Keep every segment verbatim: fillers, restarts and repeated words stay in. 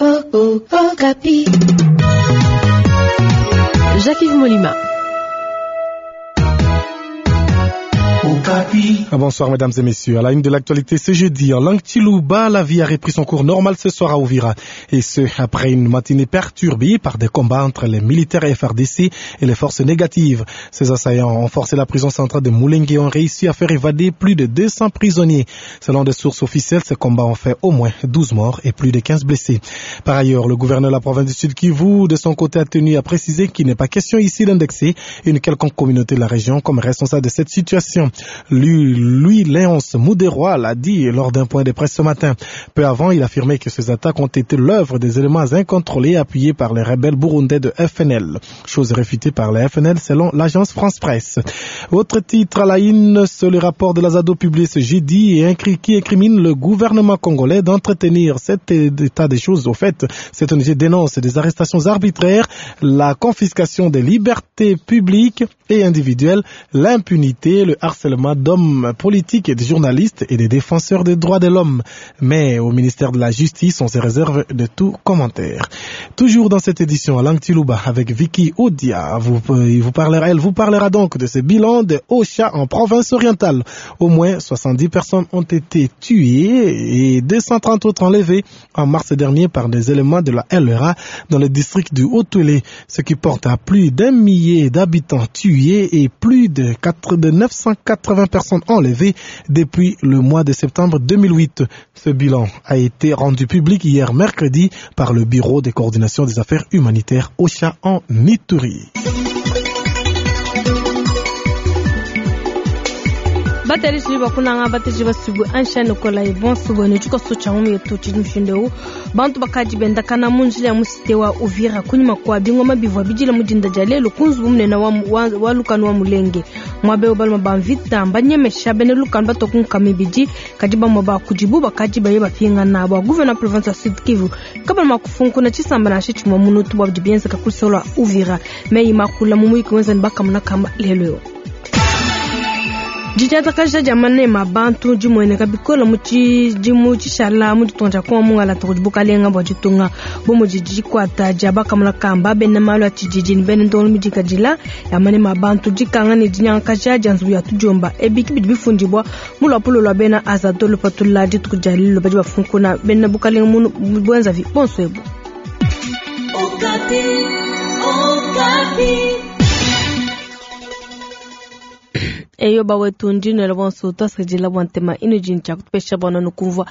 Okapi. Jacques-Yves Molima. Bonsoir mesdames et messieurs. À la une de l'actualité ce jeudi, en langue Chiluba, la vie a repris son cours normal ce soir à Ouvira. Et ce, après une matinée perturbée par des combats entre les militaires F R D C et les forces négatives. Ces assaillants ont forcé la prison centrale de Mulenge et ont réussi à faire évader plus de deux cents prisonniers. Selon des sources officielles, ces combats ont fait au moins douze morts et plus de quinze blessés. Par ailleurs, le gouverneur de la province du Sud Kivu, de son côté, a tenu à préciser qu'il n'est pas question ici d'indexer une quelconque communauté de la région comme responsable de cette situation. Lui, lui, Léonce Muderhwa l'a dit lors d'un point de presse ce matin. Peu avant, il affirmait que ces attaques ont été l'œuvre des éléments incontrôlés appuyés par les rebelles burundais de F N L. Chose réfutée par les F N L selon l'agence France Presse. Autre titre à la une, c'est le rapport de l'Azado publié ce jeudi et qui incrimine le gouvernement congolais d'entretenir cet état des choses. Au fait, cette O N G dénonce des arrestations arbitraires, la confiscation des libertés publiques et individuelles, l'impunité, le harcèlement d'hommes politiques et des journalistes et des défenseurs des droits de l'homme. Mais au ministère de la Justice, on se réserve de tout commentaire. Toujours dans cette édition, à Langtilouba, avec Vicky Odia, vous, vous parlera, elle vous parlera donc de ce bilan de Ocha en province orientale. Au moins soixante-dix personnes ont été tuées et deux cent trente autres enlevées en mars dernier par des éléments de la L R A dans le district du Haut-Uélé, ce qui porte à plus d'un millier d'habitants tués et plus de quatre, de neuf cent quatre-vingts personnes enlevées depuis le mois de septembre deux mille huit. Ce bilan a été rendu public hier mercredi par le Bureau de coordination des affaires humanitaires Ocha en Ituri. Batari bakunanga batari basubu anshani kola ibon subu ne chiko socha mu yetu chimshindeu bantu bakaji benda kana munjila ya musite wa Uvira kunyuma kwa bingoma bivwa bijila mudinda jalelo kunzu munene wa, wa, wa lukanu wa mulenge mwabe obalma bamvita mbanyemesha bene lukanu batokunka mibiji kajiba mwa kujibu bakaji baye bapinga na bwa gouverneur province ya Sud Kivu kabla makufunku na chisamba na shichimwa munutu bwa bienza kakusola Uvira meyi makula mumuiki wenza nbakamuna kama lelo Dijatakaja jamane mabantu jimwene kabikola muchi jimu chishala muditonja kwa mungala tokubukalenga bwa jitunga bomo jijikwata jaba kamula kamba bene malu atijiji bene ndolo midikajila yamane mabantu jikanga ne jinyankaja janzu ya tujomba ebiki bidi bifundibwa mulwapulo lwa bena azadolo patula ditukujalilo baji bafunkuna bene bukalenga munu bwenza vi bonswebo. Okapi, Okapi. Eyo bawetu ndino la bonso tasajila bwantema ino jincha kutupesha bwana nukumva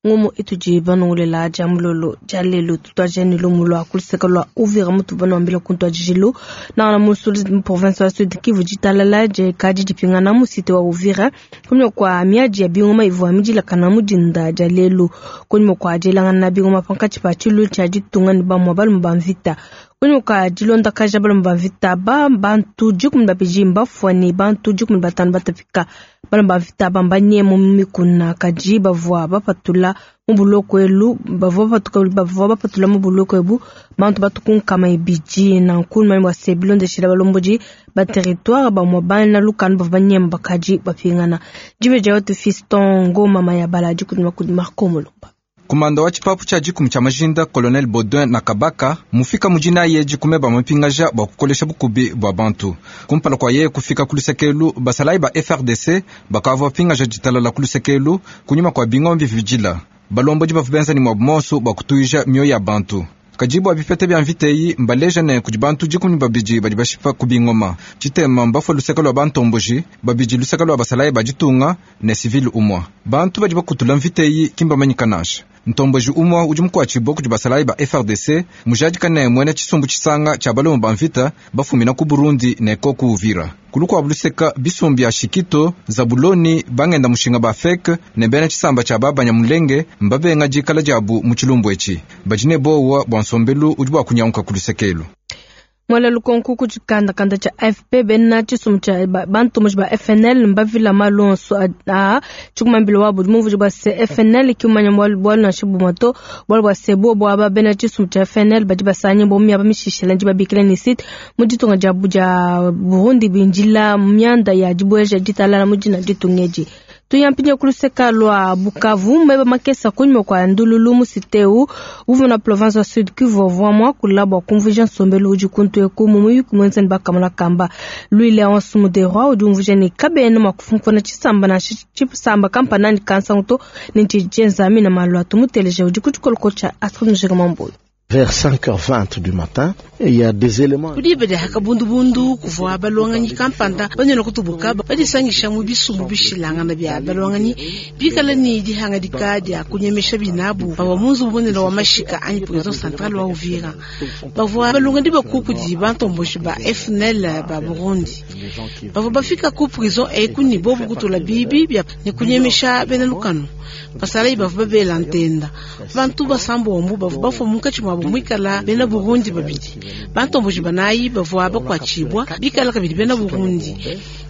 ngomo ituji banongolela jamulolo jalelo tutwajeni lomulo akuliseka lwa Uvira mutu banoambila kuntwa jijilo na na musuli province ya Sud Kivu jitalala je kaji jipinga na musite wa Uvira kunywa kwa miaji ya bingoma ivwa mijila kana mujinda jalelo kunywa kwa jelanga na bingoma pankachi pa chilu cha jitunga ni bamwa balu mbamvita kunyuka jilonda kaja balu mbamvita ba bantu jikumi babiji mbafwani bantu jikumi batanu batapika balu mbamvita bambanye mu mikuna kaji bavwa bapatula mu buloko elu bavwa bapatuka bavwa bapatula mu buloko ebu bantu batukunkama ebiji na nkulu mwa sebilonde shila balomboji ba territoire ba mwa bana lukanu bavwa banyemba kaji bapingana jibe jawote fiston ngoma mayabala jikumi kudi Marco Mulumba. Kumanda wa chipapu cha jikumi cha majinda Colonel Baudouin na Kabaka mufika mujina ye jikume ba mapingaja bwa kukolesha bukubi bwa bantu kumpala kwa ye kufika kulusekelu basalai ba F R D C bakava pingaja jitalala kulusekelu kunyuma kwa bingombi vijila balomboji bavubenza ni mwa bumoso bwa kutuija mioyo ya bantu kajibu abipete bya mviteyi mbaleja ne kudi bantu jikumi babiji badi bashipa kubingoma chitema mbafo luseka lwa bantomboji babiji luseka lwa basalayi bajitunga ne civil umwa bantu badi bakutula mviteyi kimba manyikanasha ntomboji umwa udi mukwachibo kudi basalayi ba F R D C mujadikane mwene chisumbu chisanga cha balomo ba mvita bafumina ku Burundi ne ko ku Uvira kulukwa buluseka bisumbi ya Shikito Zabuloni bangenda mushinga ba fek ne bena chisamba cha babanya mulenge mbabenga jikala jabu mu chilumbu echi bajine bowa bwa nsombelu udi bwa kunyanguka kulusekelu Mwala lukonku kuchikanda kanda cha F P bena chisumbu cha bantu muji ba F N L mbavila malonso a chikumambilo wabo muvuji bwa se F N L kiumanya bwalu bwalu na shibu moto bwalu bwa sebo bwa ba bena chisumbu cha F N L baji basanye bo myaba mishishela nji babikila ni sit mujitunga jabu ja Burundi binjila myanda ya jibweja jitalala mujina jitungeji Tuyampinye kuluseka lwa Bukavu meba makesa kunyuma kwa ndululu musiteu uvu na province wa Sud Kivu vwamwa kulabwa kumvuja nsombelu uji kuntu ekumu muyuki mwenza nibaka kamba Louis Léonce Muderwa udi umvuja ni kabene makufunkuna chisamba na chisamba kampa nani kansa nguto ninchi jenzami na malwa tumuteleje udi kuchikoloko cha Astrid Mjega Mamboyo. Vers cinq heures vingt du matin, il y a des éléments. Kudibede hakabundubundu kuvwa balwanganyi kampanda banyona kutubuka badisangisha mu bisumbu bishilangana bya balwanganyi bikala ni dihangadika dia kunyemesha binabu baba munzu bubonela wa mashika anyi prison centrale wa Uvira bavwa balongandi bakuku di bantomboshi ba F N L ba Burundi bavwa bafika ku prison ekuni bobu kutula bibi bya ni kunyemesha bena lukano basala bavwa babela ntenda bantu basambo ombu bavwa bafwa mukachi mwa mwikala bena Burundi babidi bantomboji banayi bavwa bakwachibwa bikala kabidi bena Burundi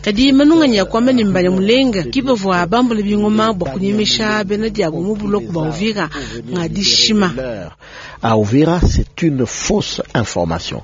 kadi manunganya kwamba ni mbale mulenga kibavwa bambule bingoma bwa kunyemesha bena diabo mu buloko ba Uvira ngadishima. À Uvira, c'est une fausse information.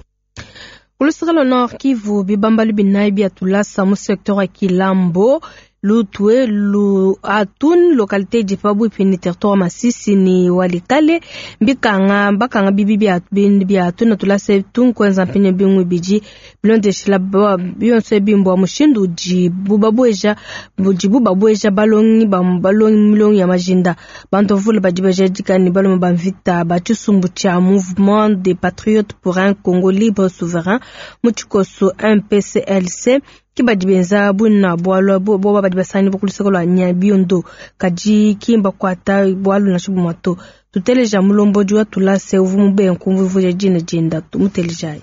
Kulusika Nord Kivu bibambalu binayi bya tulasa mu secteur ya Kilambo Lutwe lu atun localité di pabu pini territoire Masisi ni walikale mbikanga bakanga bibi bya bya atun tulase tun kwenza mpine bingwe biji bilonde shila biyonse bimbo mushindu ji bubabweja buji bubabweja balongi ba balongi milongi ya majinda bantu vule bajibaje dikani baloma bamvita ba chisumbu cha Mouvement des Patriotes pour un Congo libre souverain muchikoso M P C L C kibadi benza buna bwalo bo badi basani bokuliseko lwa Nyabiondo kaji kimba kwata bwalo na shubu mato tuteleja mulombo jwa tulase uvumu be nkumvu vuja jina jinda tumuteleja.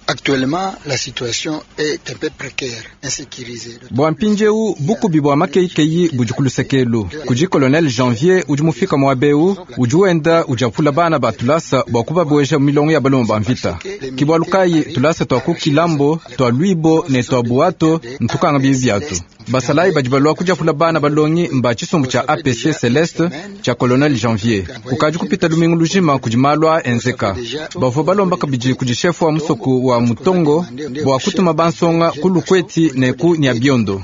Actuellement, la situation est un peu précaire, insécurisée. Bwa mpinjeu bukubi bwa makeikeyi bujikulusekelu kuji colonel Janvier udi mufika mwabeu udi wenda ujapula bana ba tulasa bwa kubabweja milongo ya baloma ba mvita kibwalukayi tulasa twa ku Kilambo twa Lwibo ne twa Buato ntukanga bibi byatu basalayi badi balwa kujapula bana balongi mba chisumbu cha A P C Celeste cha colonel Janvier kukaji kupita lumingu lujima kujimalwa enzeka bavua balomba kabidi kuji shefu wa musoku wa mutongo bwa kutuma bansonga kulukweti ne ku Nyabiondo.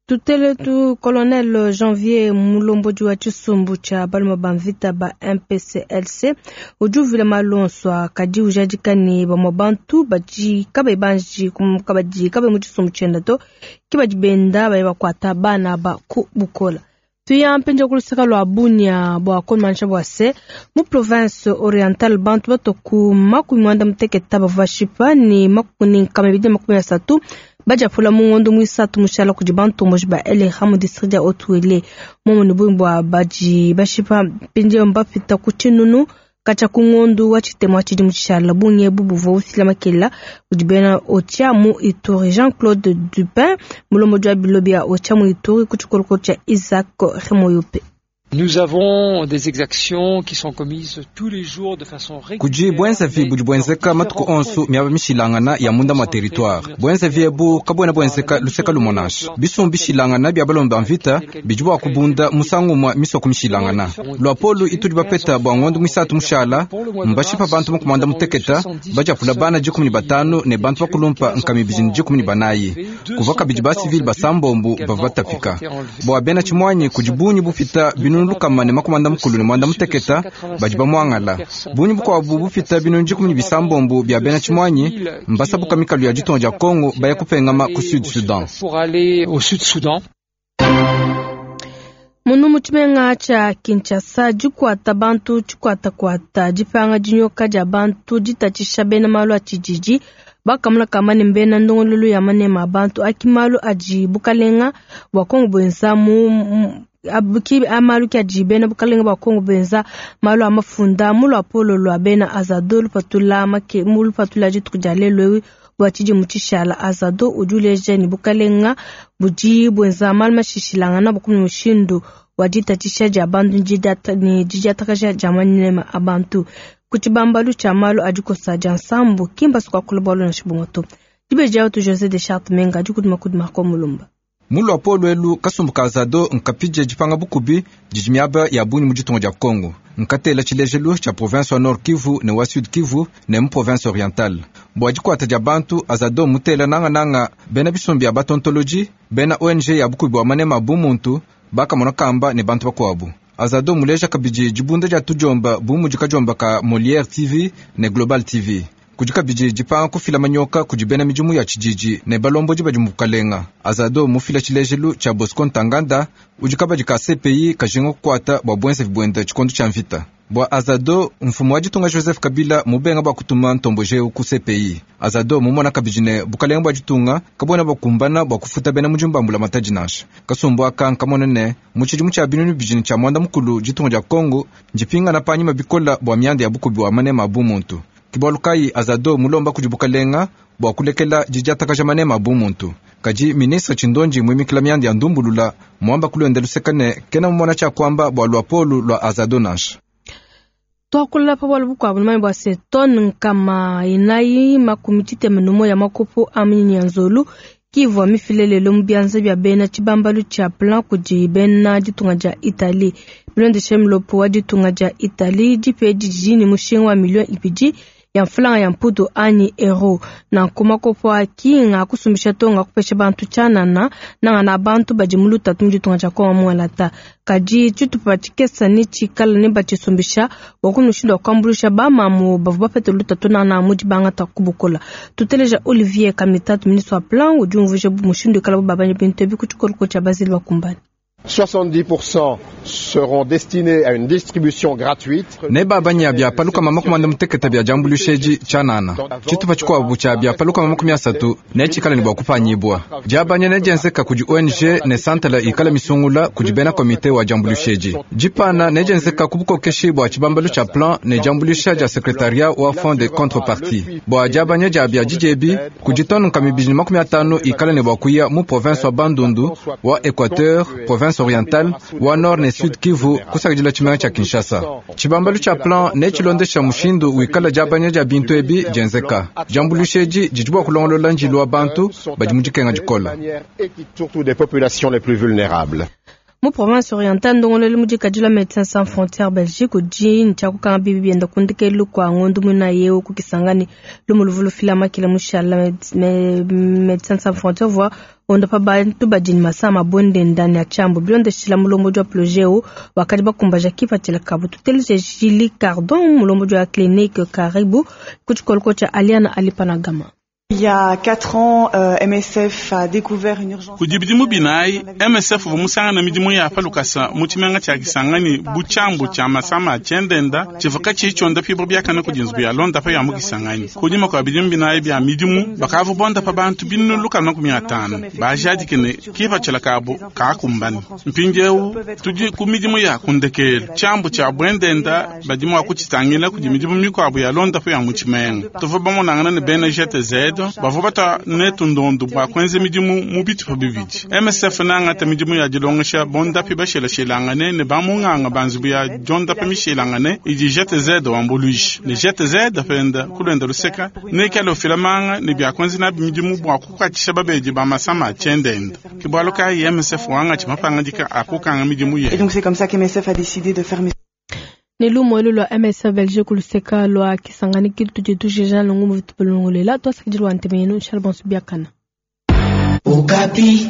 Tutele tu colonel Janvier mulombo wa chisumbu cha baloma bamvita ba M P C L C ujuvile malonswa kadi ujadikani ba mabantu baji kabe banji kabaji kabe mu chisumbu chenda to kibaji benda ba bakwata bana ba ku bukola. Tuya mpenja kulusaka lwa Bunia bwa komansha bwa se mu province orientale bantu batoku makumi mwanda muteketa bavashipa ni makumi nkama ibiri makumi asatu bajapula mu ngondo mwisatu mushala kudi bantu moji ba L R mu district ya Haut-Uele momo ni bwa baji bashipa mpenja mbafita ku chinunu kacha ku ngondo wa chitemo chidi mushala bunye bubuvo usila makela kudi bena Otia mu Ituri Jean-Claude Dupin mulomo jwa bilobi ya Otia mu Ituri kuchikoloko cha Isaac Remoyope. Nous avons des exactions qui sont commises tous les jours de façon régulière. Kuji bwenza vi budi bwenzeka matuku onsu miaba mishilangana ya munda mwa territoire. Bwenza vi ebu kabwena bwenzeka luseka lumonasha. Bisumbu bishilangana bya balomba mvita bijibwa kubunda musangu mwa misoko mishilangana. Lwa polu ituli bapeta bwa ngondo mwisatu mushala mbashipa bantu mukumanda muteketa bajapula bana jikumi ni batanu ne bantu bakulumpa nkami bijini jikumi ni banayi. Kuva kabidi ba civil basambombu bavatapika. Bwa bena chimwanyi kujibunyi bufita binu lukama ne makumanda mukulu ne mwanda muteketa badi bamwangala bunyi bukwabu bufita binu jikumi ni bisambombu bya bena chimwanyi mbasabuka mikalu ya jitongo ja Kongo baya kupengama ku Sud Sudan. Pour aller au Sud Sudan. Munu muchimenga cha Kinshasa jikwata bantu chikwata kwata jipanga jinyoka ja bantu jitachisha bena malu a chijiji bakamula kamane mbena ndongololo ya manema abantu akimalu aji bukalenga bwa Kongo bwenza mu abuki amalu kya jibena bukalenga bwa Kongo benza malu amafunda mulu apolo lwa bena azado lupatula make mulu patula jitu lelo bwa chiji muchishala azado ujuleje ni bukalenga buji bwenza malu mashishilanga na bukumi mushindu wajitatisha ja bantu njidata ni jijatakaja jamanema abantu kuchibambalu cha malu ajikosa jansambu kimba sukwa kulubalo na shibongoto dibeja tu José de Charte Menga jukuduma kuduma ko mulumba. Mu luapolo elu kasumbu ka Azado nkapidie dipanga bukubi didi miaba ya bungi mu ditunga dia Kongo. Nkatela tshilejelu tshia province wa Nord Kivu ne wa Sud Kivu ne mu province orientale. Bua dikuata dia bantu Azado mutela nangananga bena bisumbu bia batontoloji, bena O N G ya bukubi bua manema bu muntu bakamona kamba ne bantu bakuabu. Azado muleja kabidi dibunda dia tudiomba bu mudi kadiomba ka Molière T V ne Global T V. Kudi kabidi dipanga kufila manyoka kudi bena midimu ya tshididi ne balombodi badi mu bukalenga. Azado mufila tshilejelu tshia Bosco Ntaganda udi kabadi ka C P I kajinga kukuata bua buenzevi buende tshikondo tshia mvita. Bua Azado mfumu wa ditunga Joseph Kabila mubenga bua kutuma ntomboje ku C P I. Azado mumona kabidi ne bukalenga bua ditunga kabona bakumbana bua kufuta bena mudimu ba mbulamatadi nansha. Kasumbu aka nkamona ne mu tshidimu tshia binunu bibidi tshia mwanda mukulu ditunga dia Kongo ndipingana panyima bikola bua mianda ya bukubi wa manema a bumuntu. Kibalu kai Azado mulomba kudi bukalenga bua kulekela didiatakaja manema bu muntu. Kadi ministre Tshindonji muimikila mianda ya ndumbulula muamba kulonda lusekane kena mumona tshia kuamba bua luapolu lua Azado nansha. Twakula pa bwalu bukuabu numanya bua se tone nkama inayi makumi tshitema numo ya makopo a minyinyi ya nzolu kivua mifilelelo mu bianza bia bena tshibambalu tshia plan kudi bena ditunga dia Italie. Bilondeshe mulopo wa ditunga dia Italie dipe didi ne mushinga wa million ibidi ya mfulanga ya mputu anyi euro. Nanku makopo aki nga kusumbisha to nga kupesha bantu tshianana nanga na bantu badi mu lutatu mu ditunga dia Kongo mualata. Kadi tshitupa tshikesa ne tshikala ne batshisumbisha bua kumushindu wa kuambuluisha bamamu bavua bapete lutatu nana mu dibangata kubukola. Tuteleja Olivier Kamitatu, ministre wa plan, udi umvuija mushindu ikala babanya bintu ebi ku tshikoloko tshia Basile Bakumbani. soixante-dix pour cent seront destinés à une distribution gratuite. Ne babanya bya paluka mama kumanda muteketa bya jambulusheji chanana. Tshitupa tshikuabu tshia bya paluka mama makumi asatu ne tshikala ne bua kupanyibua. Diabanya ne dienzeka kudi O N G ne santala ikala misungula kudi bena komite wa jambulusheji. Dipana ne dienzeka ku bukokeshi bua tshibambalu tshia plan ne jambulusha dia secrétariat wa fonds de contrepartie. Bua diabanya dia bya dijebi kudi tonu nkama ibidi ne makumi atanu ikala ne bua kuya mu province wa Bandundu, wa Équateur, province orientale, wa Nord ne Sud Kivu kusakidila tshimenga tshia Kinshasa. Tshibambalu tshia plan ne tshilondesha mushindu wikala diabanya dia bintu ebi dienzeka. Diambulusheji didi bua kulongolola njilu wa bantu badi mu dikenga dikola. Surtout des populations les plus vulnérables. Mu province orientale ndongolelu mu dikadila Médecins Sans Frontières Belgique udi ntshia kukanga bibi bienda kundikelu kua ngondu muina yeu kukisangani lumu luvu lufila makila mushala Médecins Sans Frontières vua onda pa bantu badi ne masama bonde ndani ya tshiambu bilondeshila mulombodi wa projet eu wakadi bakumbaja kipatshila kabu. Tuteleje Julie Cardon, mulombodi wa clinique Karibu ku tshikoloko tshia Aliana Alipanagama. Il y a quatre ans, euh, M S F a découvert une urgence. Kudi bidimu binayi, M S F vumusanga na midimu ya palukasa mu tshimenga tshia Kisangani bu tshiambu tshia masama tshiendenda tshivuka tshitsho pibro biakana kudi nzubu ya londa pa ya mu Kisangani. Kunyima kwa bidimu binayi bya midimu bakavu bonda pa bantu binunu lukama makumi atanu bajadike ne kipatshila kabu kakumbani. Mpindieu tudi ku midimu ya kundekelu tshiambu tshia bwendenda badimu wa kutshitangila kudi midimu mikuabu ya londa pa ya mu tshimenga. Tuvua bamonangana ne bena G T Z bavua bata netu ndondo bua kuenza midimu mu bitupa bibidi. M S F nangata midimu ya dilongesha bondapi bashelashilangane ne bamunganga banzubu ya jondapi mishilangane idi G T Z wambuluisha ne G T Z penda kulwenda luseka nekala ofilamanga ne bya kuenza nabi midimu bua kukuatshisha babedi ba masama tshiendenda. Ke bualu kayi M S F wanga tshimapangadika akukanga midimu ye. Et donc c'est comme ça que M S F a décidé de fermer. Ne lumu elu lua M S F Belgique luseka lua Kisangani kitu tudi jeja lungu muvitupulungulela twasakidilwa ntemenu nshala bonso biakana. Okapi.